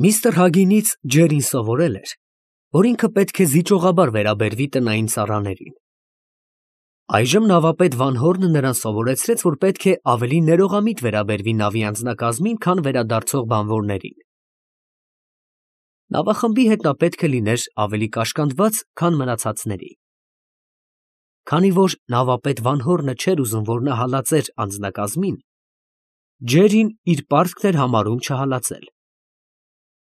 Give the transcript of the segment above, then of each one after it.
Միստր Հագինից Ջերին սովորել էր, որ ինքը պետք է զիջողաբար վերաբերվի տնային ծառաներին։ Այժմ նավապետ Վանհորնը նրան սովորեցրեց, որ պետք է ավելի ներողամիտ վերաբերվի նավի անձնակազմին, քան վերադարձող բանվորներին։ Նավախմբի հետ նա պետք է լիներ ավելի կաշկանդված, քան մնացածների։ Քանի որ նավապետ Վանհորնը չէր ուզում, որ նա հալածեր անձնակազմին, Ջերին իր պարտքն էր համարում չհալածել։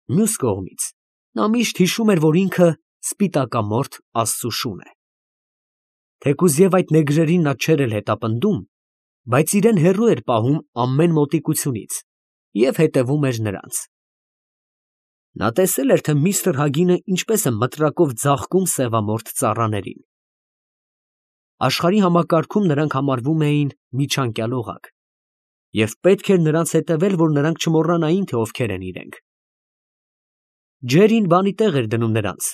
Մյուս կողմից, նա միշտ հիշում էր, որ ինքը սպիտակամորթ Աստծու շուն է։ Թեկուզ և այդ նեգրերին նա չէր էլ հետապնդում, բայց իրեն հեռու էր պահում ամեն մոտիկությունից և հետևում էր նրանց։ Նա տեսել էր, թե միստր Հագինը ինչպես է մտրակով ձաղկում սևամորթ ծառաներին։ Աշխարհի համակարգում նրանք համարվում էին միջանկյալ օղակ, և պետք էր նրանց հետևել, որ նրանք չմոռանային, թե ովքեր են իրենք։ Ջերին բանի տեղ էր դնում նրանց,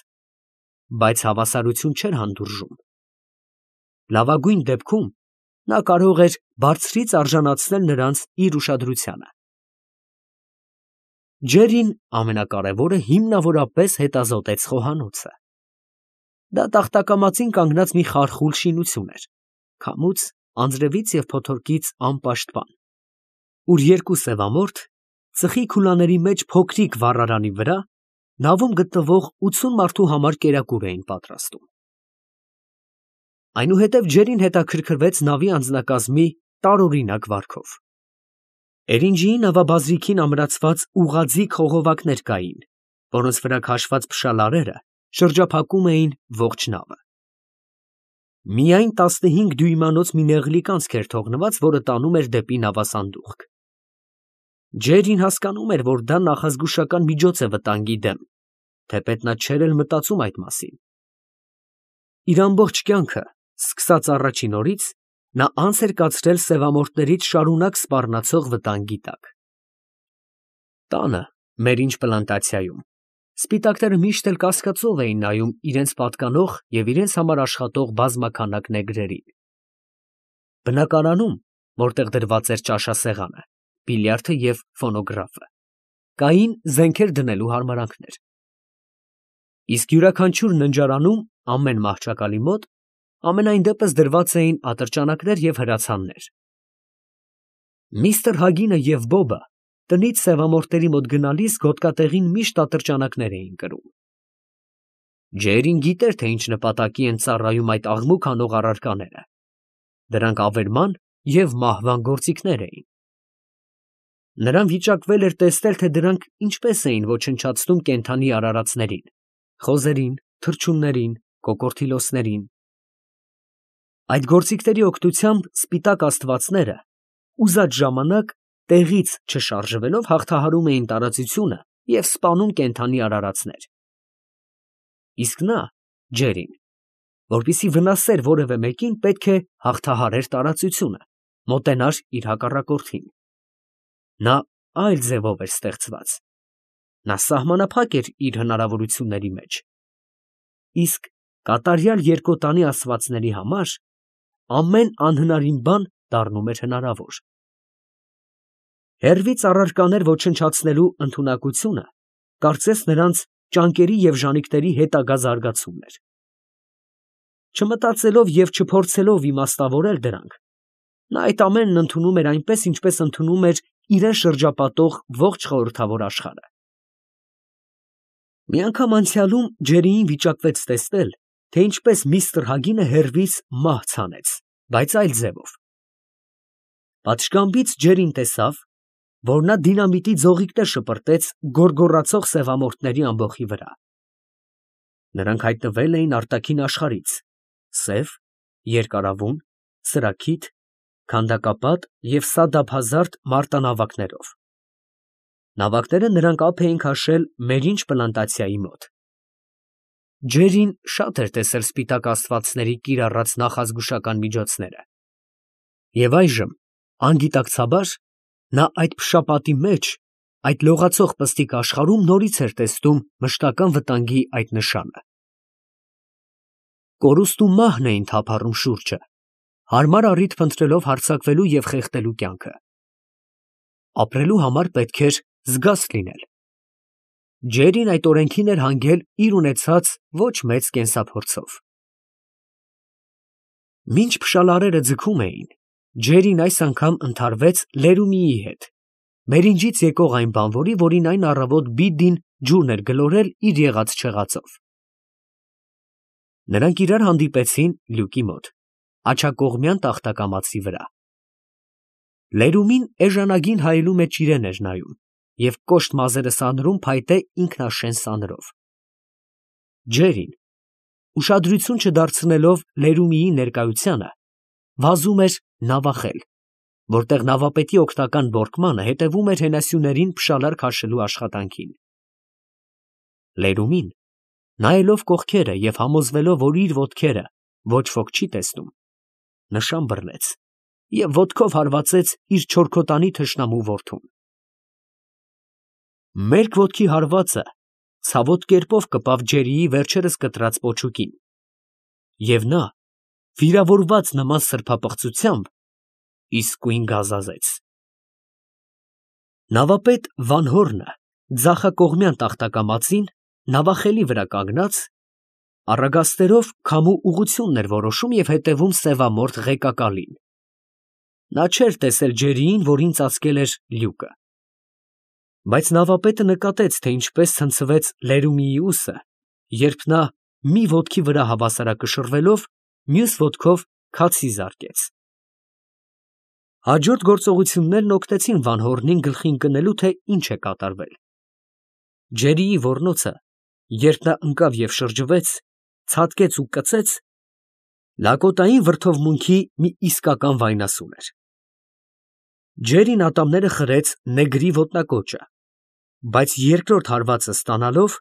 բայց հավասարություն չէր հանդուրժում։ Լավագույն դեպքում նա կարող էր բարձրից արժանացնել նրանց իր ուշադրությանը։ Ջերին ամենակարևորը հիմնավորապես հետազոտեց խոհանոցը։ Դա տախտակամածին կանգնած մի խարխուլ շինություն էր, քամուց, անձրևից և փոթորկից անպաշտպան, ուր երկու սևամորթ, ծխի քուլաների մեջ փոքրիկ վառարանի վրա նավում գտնվող 80 մարդու համար կերակուր էին պատրաստում։ Այնուհետև Ջերին հետաքրքրվեց նավի անձնակազմի տարօրինակ վարքով։ Էրինջիի նավաբազրիքին ամրացված ուղղաձիգ խողովակներ կային, որոնց վրա քաշված փշալարերը շրջափակում էին ողջ նավը։ Միայն 15 դյույմանոց մի նեղլիկ անցք էր թողնված, որը տանում էր դեպի նավասանդուղք։ Ջերին հասկանում էր, որ դա նախազգուշական միջոց է վտանգի դեմ, թեպետ նա չէր էլ մտածում այդ մասին։ Իր ամբողջ կյանքը, սկսած առաջին օրից, նա անց էր կացրել սևամորթներից շարունակ սպառնացող վտանգի տակ։ Տանը, Մերինջ պլանտացիայում, սպիտակները միշտ էլ կասկածով էին նայում իրենց պատկանող և իրենց համար աշխատող բազմաքանակ նեգրերին։ Բնակարանում, որտեղ դրված էր ճաշասեղանը, բիլիարդը և ֆոնոգրաֆը, կային զենքեր դնելու հարմարանքներ։ Իսկ յուրաքանչյուր ննջարանում, ամեն մահճակալի մոտ, ամենայն դեպս դրված էին ատրճանակներ և հրացաններ։ Միստր Հագինը և Բոբը տնից սևամորթերի մոտ գնալիս գոտկատեղին միշտ ատրճանակներ էին կրում։ Ջերին գիտեր, թե ինչ նպատակի են ծառայում այդ աղմուկ անող առարկաները։ Դրանք ավերման և մահվան գործիքներ էին։ Նրան վիճակվել էր տեսնել, թե դրանք ինչպես էին ոչնչացնում կենդանի արարածներին, խոզերին, թռչուններին, կոկորդիլոսներին։ Այդ գործիքների օգնությամբ սպիտակ աստվածները ուզած ժամանակ տեղից չշարժվելով հաղթահարում էին տարածությունը և սպանում կենդանի արարածներ։ Իսկ նա, Ջերին, որպեսզի վնասեր որևէ մեկին, պետք է հաղթահարեր տարածությունը, մոտենար իր հակառակորդին։ Նա այլ ձևով էր ստեղծված։ Նա սահմանափակ էր իր հնարավորությունների մեջ։ Իսկ կատարյալ երկոտանի ասվածների համար ամեն անհնարին բան դառնում էր հնարավոր։ Հեռվից առարկաներ ոչնչացնելու ընդունակությունը կարծես նրանց ճանկերի և ժանիքների հետագա զարգացումն էր։ Չմտածելով և չփորձելով իմաստավորել դրանք, նա այդ ամենն ընդունում էր այնպես, ինչպես ընդունում էր իրան շրջապատող ողջ խորհրդավոր աշխարհը։ Մի անգամ անցյալում Ջերիին վիճակվեց տեսնել, թե ինչպես միստր Հագինը հեռվից մահ ցանեց, բայց այլ ձևով։ Պատշգամբից Ջերին տեսավ, որ նա դինամիտի ձողիկներ շպրտեց գոռգոռացող սևամորթների ամբոխի վրա։ Նրանք հայտնվել էին արտաքին աշխարհից, սև, երկարավուն, սրաքիթ, քանդակապատ և սադափազարդ մարտանավակներով։ Նավակները նրանք ափ էին քաշել Մերինջ պլանտացիայի մոտ։ Ջերին շատ էր տեսել սպիտակ աստվածների կիրառած նախազգուշական միջոցները։ Եվ այժմ, անգիտակցաբար, նա այդ փշապատի մեջ, այդ լողացող պստիկ աշխարհում նորից էր տեսնում մշտական վտանգի այդ նշանը։ Կորուստ ու մահն էին թափառում շուրջը, հարմար առիթ փնտրելով հարձակվելու և խեղդելու կյանքը։ Ապրելու համար պետք էր զգաստ լինել։ Ջերին այդ օրենքին էր հանգել իր ունեցած ոչ մեծ կենսափորձով։ Մինչ փշալարերը ձգում էին, Ջերին այս անգամ ընդհարվեց Լերումիի հետ, մերինջից եկող այն բանվորի, որին այն առավոտ Բիդդին ջուրն էր գլորել իր եղած չեղածով։ Նրանք իրար հանդիպեցին լյուկի մոտ, աջակողմյան տախտակամածի վրա։ Լերումին էժանագին հայելու մեջ իրեն էր նայում և կոշտ մազերը սանրում փայտե ինքնաշեն սանրով։ Ջերին, ուշադրություն չդարձնելով Լերումիի ներկայությանը, վազում էր նավախել, որտեղ նավապետի օգնական բորկմանը հետևում էր հենասյուներին փշալար քաշելու աշխատանքին։ Լերումին, նայելով կողքերը և համոզվելով, որ իր ոտքերը ոչ ոք չի տեսնում, նշան բռնեց և ոտքով հարվածեց իր չորքոտանի թշնամու որդուն։ Մերկ ոտքի հարվածը ցավոտ կերպով կպավ Ջերիի վերջերս կտրած պոչուկին, և նա, վիրավորված նման սրբապղծությամբ, իսկույն գազազեց։ Նավապետ Վանհորնը ձախակողմյան տախտակամածին նավախելի վրա կանգնած, առագաստերով քամու ուղղությունն էր որոշում և հետևում սևամորթ ղեկակալին։ Նա չէր տեսել Ջերիին, որին ծածկել էր լյուկը։ Բայց նավապետը նկատեց, թե ինչպես ցնցվեց Լերումիի ուսը, երբ նա մի ոտքի վրա հավասարակշռվելով, մյուս ոտքով քացի զարկեց։ Հաջորդ գործողություններն օգնեցին Վանհորնին գլխի ընկնելու, թե ինչ է կատարվել։ Ջերիի ոռնոցը, երբ նա ընկավ և շրջվեց, ցատկեց ու կծեց, լակոտային վրդովմունքի մի իսկական վայնասուն էր։ Ջերին ատամները խրեց նեգրի ոտնակոճը, բայց երկրորդ հարվածը ստանալով,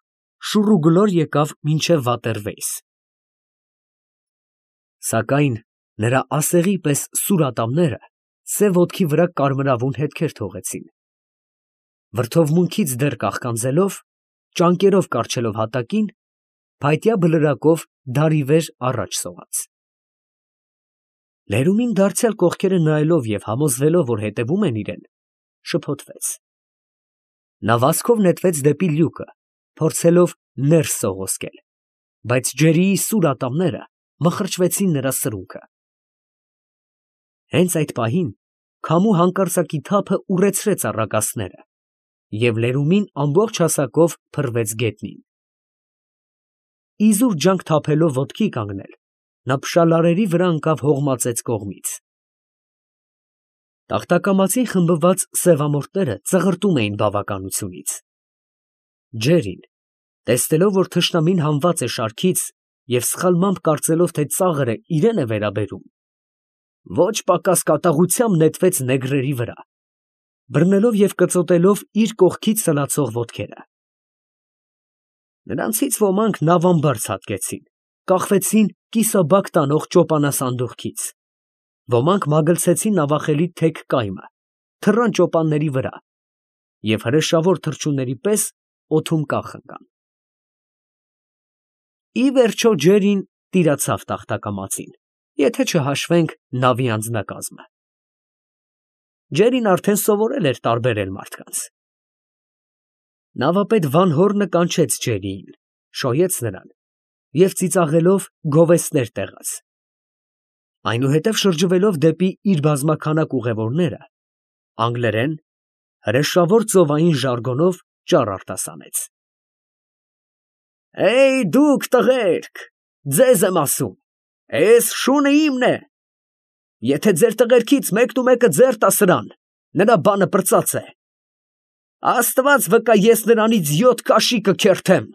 շուռուգլոր եկավ մինչև վատերվեյս։ Սակայն նրա ասեղի պես սուր ատամները սև ոտքի վրա կարմրավուն հետքեր թողեցին։ Վրդովմունքից դեռ կաղկանձելով, ճանկերով կառչելով հատակին, փայտյա բլրակով դարիվեր առաջ սողաց։ Լերումին դարձյալ կողքերը նայելով և համոզվելով, որ հետևում են իրեն, շփոթվեց։ Նա վազքով նետվեց դեպի լյուկը, փորձելով ներս սողոսկել, բայց Ջերիի սուր ատամները մխրճվեցին նրա սրունքը։ Հենց այդ պահին քամու հանկարծակի թափը ուռեցրեց առագաստները, և Լերումին ամբողջ հասակով փռվեց գետնին։ Իզուր ջանք թափելով ոտքի կանգնել, նա փշալարերի վրա ընկավ հողմածեց կողմից։ Տախտակամածին խմբված սևամորթները ծղրտում էին բավականությունից։ Ջերին, տեսնելով, որ թշնամին հանված է շարքից և սխալմամբ կարծելով, թե ծաղրը իրան է վերաբերում, ոչ պակաս կատաղությամբ նետվեց նեգրերի վրա, բռնելով և կծոտելով իր կողքից սլացող ոտքերը։ Նրանցից ոմանք նավամբար ցատկեցին, կախվեցին կիսաբակ տանող ճոպանասանդուղքից, ոմանք մագլցեցին նավախելի թեք կայմը, թռան ճոպանների վրա և հրեշավոր թռչունների պես օդում կախ ընկան։ Ի վերջո Ջերին տիրացավ տախտակամածին, եթե չհաշվենք նավի անձնակազմը։ Ջերին արդեն սովորել էր տարբերել մարդկանց։ Նավապետ Վանհորնը կանչեց Ջերիին, շոյեց նրան և ծիծաղելով գովեստներ տեղաց։ Այնուհետև շրջվելով դեպի իր բազմաքանակ ուղևորները, անգլերեն, հրեշավոր ծովային ժարգոնով ճառ արտասանեց. դուք տղերք, ձեզ եմ ասում, էս շունը իմն է. եթե ձեր տղերքից մեկը ձեռ տա սրան, նրա բանը պրծած է. Աստված վկա, ես նրանից 7 կաշի կքերթեմ,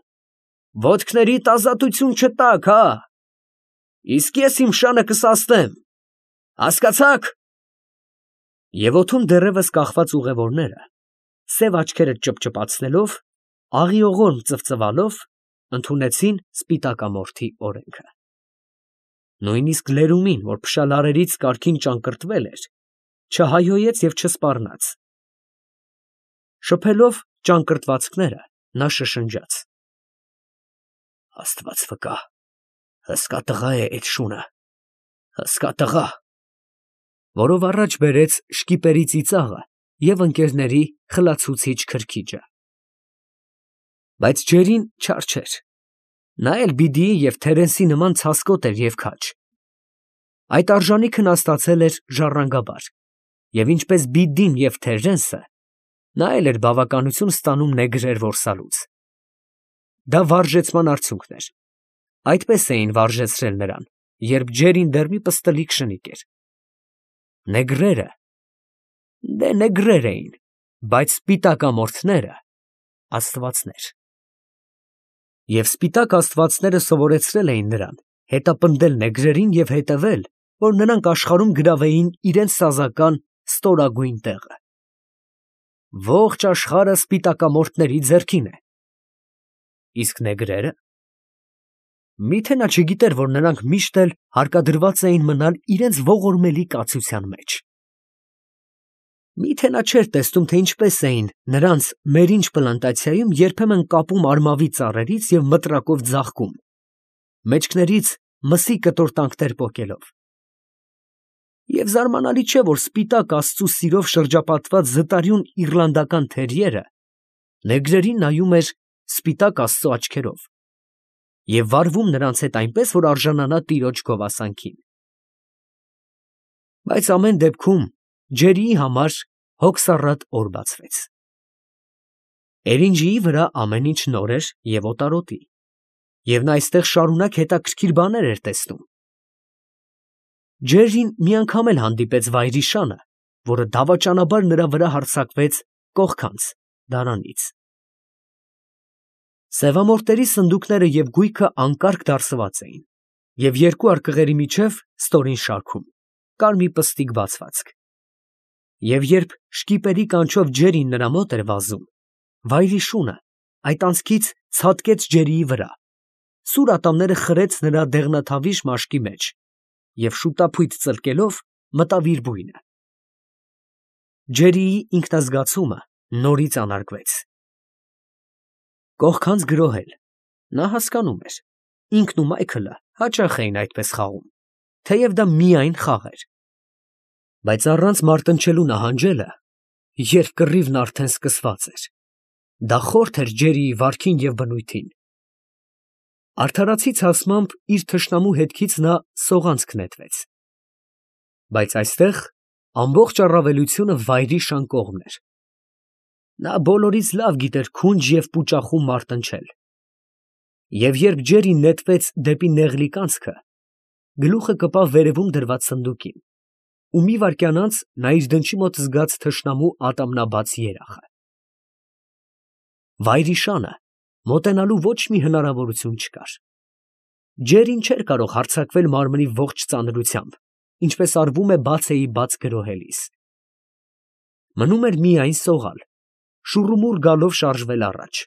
ոտքներիդ ազատություն չտաք, հա, իսկ ես իմ շանը կսաստեմ, հասկացա՞ք։ Եվ օդում դեռևս կախված ուղևորները, սև աչքերը ճպճպացնելով, աղիողորմ ծվծվալով, ընդունեցին սպիտակամորթի օրենքը։ Նույնիսկ Լերումին, որ փշալարերից կարգին ճակռտվել էր, չհայհոյեց և չսպառնաց։ Շփելով ճակռտվածքները, նա շշնջաց. Աստված վկա, հսկա տղա է էդ շունը, հսկա տղա, որով առաջ բերեց շկիպերի ծիծաղը և ընկերների խլացուցիչ քրքիջը։ Բայց Ջերին չար չէր։ Նա էլ Բիդիի և Թերենսի նման ցասկոտ էր և քաջ։ Այդ արժանիքն հաստացել էր ժառանգաբար, և ինչպես Բիդին և Թերենսը, նա էլ էր բավականություն ստանում նեգրեր որսալուց։ Դա վարժեցման արդյունքն էր։ Այդպես էին վարժեցրել նրան, երբ Ջերին դեռ մի պստլիկ շնիկ էր։ Նեգրերը, դե նեգրեր էին, բայց սպիտակամորթները աստվածներ։ Եվ սպիտակ աստվածները սովորեցրել էին նրան հետապնդել նեգրերին և հետևել, որ նրանք աշխարհում գրավեին իրենց սազական ստորագույն տեղը։ Ողջ աշխարհը սպիտակամորթների ձեռքին է։ Իսկ նեգրերը… Միթե նա չգիտեր, որ նրանք միշտ էլ հարկադրված էին մնալ իրենց ողորմելի կացության մեջ։ Միթե նա չէր տեսնում, թե ինչպես էին նրանց մերինջ պլանտացիայում երբեմն կապում արմավի ծառերից և մտրակով ձաղկում, մեջքներից մսի կտորտանքներ պոկելով։ Եվ զարմանալի չէ, որ սպիտակ աստծու սիրով շրջապատված զտարյուն իռլանդական թերիերը նեգրերին նայում էր սպիտակ աստծու աչքերով և վարվում նրանց հետ այնպես, որ արժանանա տիրոջ գովասանքին։ Բայց ամեն դեպքում Ջերիի համար հոգսառատ օր բացվեց։ Էրինջիի վրա ամեն ինչ նոր էր և օտարոտի, և նա այստեղ շարունակ հետաքրքիր բաներ էր տեսնում։ Ջերին մի անգամ էլ հանդիպեց վայրիշանը, որը դավաճանաբար նրա վրա հարձակվեց կողքանց դարանից։ Սևամորտերի սնդուկները և գույքը անկարգ դարսված էին, և երկու արկղերի միջև ստորին շարքում կար մի պստիկ բացվածք։ Եվ երբ շկիպերի կանչով Ջերին նրա մոտ էր վազում, վայրիշունը այդ անցքից ցատկեց Ջերիի վրա, սուր ատամները խրեց նրա դեղնաթավիշ մաշկի մեջ և շուտափույթ ծլկելով մտավ իր բույնը։ Ջերիի ինքնազգացումը նորից անարգվեց։ Կողքանց գրոհել, նա հասկանում էր, ինքն ու Մայքլը հաճախ էին այդպես խաղում, թեև դա միայն խաղ էր։ Բայց առանց մարտնչելու նահանջելը, երբ կռիվն արդեն սկսված էր, դա խորթ էր Ջերիի վարքին և բնույթին։ Արդարացի ցասմամբ իր թշնամու հետքից նա սողանցք նետվեց։ Բայց այստեղ ամբողջ առավելությունը վայրիշան կողմն էր։ Նա բոլորից լավ գիտեր քունջ և պուճախում մարտնչել։ Եվ երբ Ջերին նետվեց դեպի նեղլիկ անցքը, գլուխը կպավ վերևում դրված սնդուկին, ու մի վայրկյան անց նա իր դնչի մոտ զգաց թշնամու ատամնաբաց երախը։ Վայրիշանը մոտենալու ոչ մի հնարավորություն չկար։ Ջերին չէր կարող հարձակվել մարմնի ողջ ծանրությամբ, ինչպես արվում է բացեի բաց գրոհելիս։ Մնում էր միայն սողալ, շուռումուռ գալով շարժվել առաջ։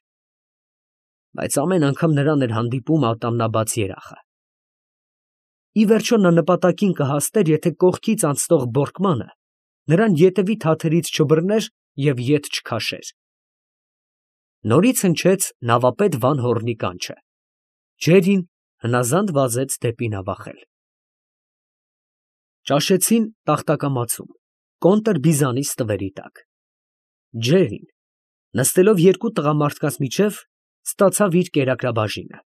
Բայց ամեն անգամ նրան էր հանդիպում ատամնաբաց երախը։ Ի վերջո նա նպատակին կհասներ, եթե կողքից անցնող բորկմանը նրան ետևի թաթերից չբռներ և ետ չքաշեր։ Նորից հնչեց նավապետ Վան Հոռնի կանչը։ Ջերին հնազանդ վազեց դեպի նավախել։ Ճաշեցին տախտակամածում, կոնտրբիզանի ստվերի տակ։ Ջերին, նստելով երկու տղամարդկանց միջև, ստացավ իր կերակրաբաժինը։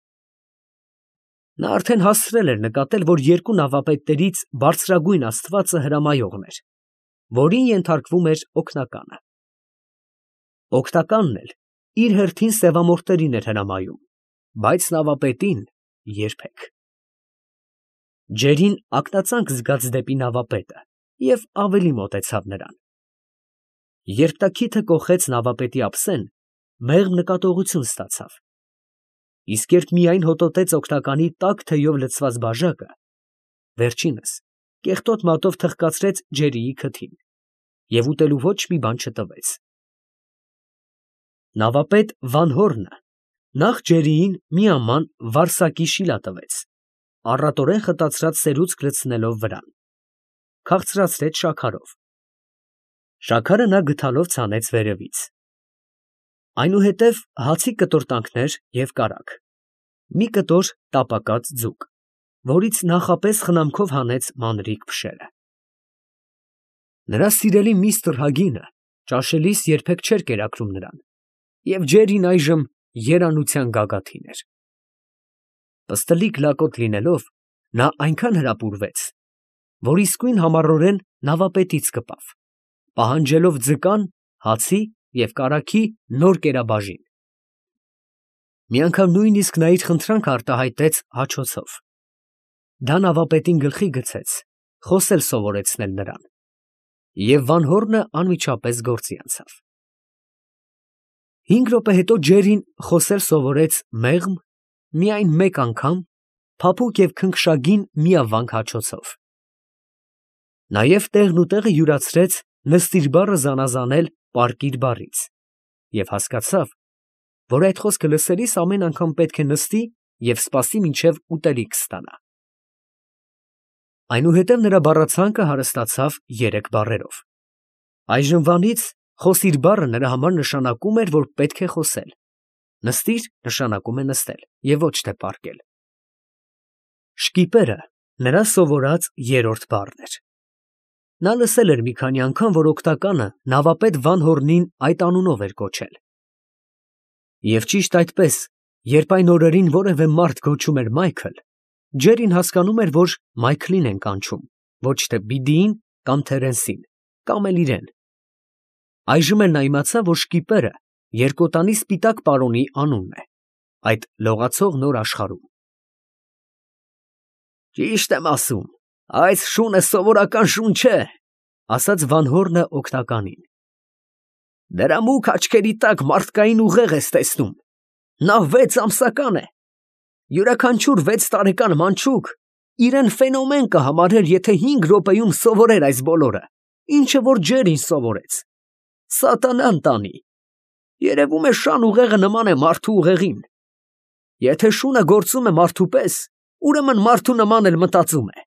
Նա արդեն հասցրել էր նկատել, որ երկու նավապետներից բարձրագույն աստվածը հրամայողն էր, որին ենթարկվում էր օգնականը։ Օգնականն էլ իր հերթին սևամորթերին էր հրամայում, բայց նավապետին երբեք։ Ջերին ակնածանք զգաց դեպի նավապետը և ավելի մոտեցավ նրան։ Երբ նա քիթը կոխեց նավապետի ափսեն, մեղմ նկատողություն ստացավ, իսկ երբ միայն հոտոտեց օգնականի տաք թեյով լցված բաժակը, վերջինս կեղտոտ մատով թխկացրեց Ջերիի քթին և ուտելու ոչ մի բան չտվեց։ Նավապետ Վան Հոռնը նախ Ջերիին մի աման վարսակի շիլա տվեց, առատորեն խտացրած սերուցք լցնելով վրան, քաղցրացրեց շաքարով։ Շաքարը նա գդալով ցանեց վերևից։ Այնուհետև հացի կտորտանքներ և կարագ, մի կտոր տապակած ձուկ, որից նախապես խնամքով հանեց մանրիկ փշերը։ Նրա սիրելի միստր Հագինը ճաշելիս երբեք չէր կերակրում նրան, և Ջերին այժմ երանության գագաթին էր։ Պստլիկ լակոտ լինելով, նա այնքան հրապուրվեց, որ իսկույն համառորեն նավապետից կպավ, պահանջելով ձկան, հացի և կարագի նոր կերաբաժին։ Մի անգամ նույնիսկ նա իր խնդրանքը արտահայտեց հաչոցով։ Դա նավապետին գլխի գցեց խոսել սովորեցնել նրան, և Վանհոռնը անմիջապես գործի անցավ։ 5 րոպե հետո Ջերին խոսել սովորեց մեղմ, միայն մեկ անգամ, փափուկ և քնքշագին միավանք հաչոցով։ Նաև տեղն ու տեղը յուրացրեց նստիր բառը զանազանել պառկիր բառից և հասկացավ, որ այդ խոսքը լսելիս ամեն անգամ պետք է նստի և սպասի մինչև ուտելիք ստանա։ Այնուհետև նրա բառացանկը հարստացավ 3 բառերով։ Այժմվանից խոսիր բառը նրա համար նշանակում էր, որ պետք է խոսել, նստիր նշանակում է նստել և ոչ թե պառկել։ Շկիպերը նրա սովորած 3-րդ բառն էր։ Նա լսել էր մի քանի անգամ, որ օգնականը նավապետ Վանհոռնին այդ անունով էր կոչել։ Եվ ճիշտ այդպես, երբ այն օրերին որևէ մարդ կոչում էր Մայքլ, Ջերին հասկանում էր, որ Մայքլին են կանչում, ոչ թե Բիդիին կամ Թերենսին, կամ էլ իրեն։ Այժմ էլ նա իմացավ, որ շկիպերը երկոտանի սպիտակ պարոնի անունն է, այդ լողացող նոր աշխարհում։ Ճիշտ եմ ասում, այս շունը սովորական շուն չէ, ասաց Վանհոռնը օգնականին։ Դրա մուգ աչքերի տակ մարդկային ուղեղ ես տեսնում։ Նա 6 ամսական է։ Յուրաքանչյուր 6 տարեկան մանչուկ իրեն ֆենոմեն կհամարեր, եթե 5 րոպեում սովորեր այս բոլորը, ինչը որ Ջերին սովորեց։ Սատանան տանի։ Երևում է շան ուղեղը նման է մարդու ուղեղին։ Եթե շունը գործում է մարդու պես, ուրեմն մարդու նման էլ մտածում է։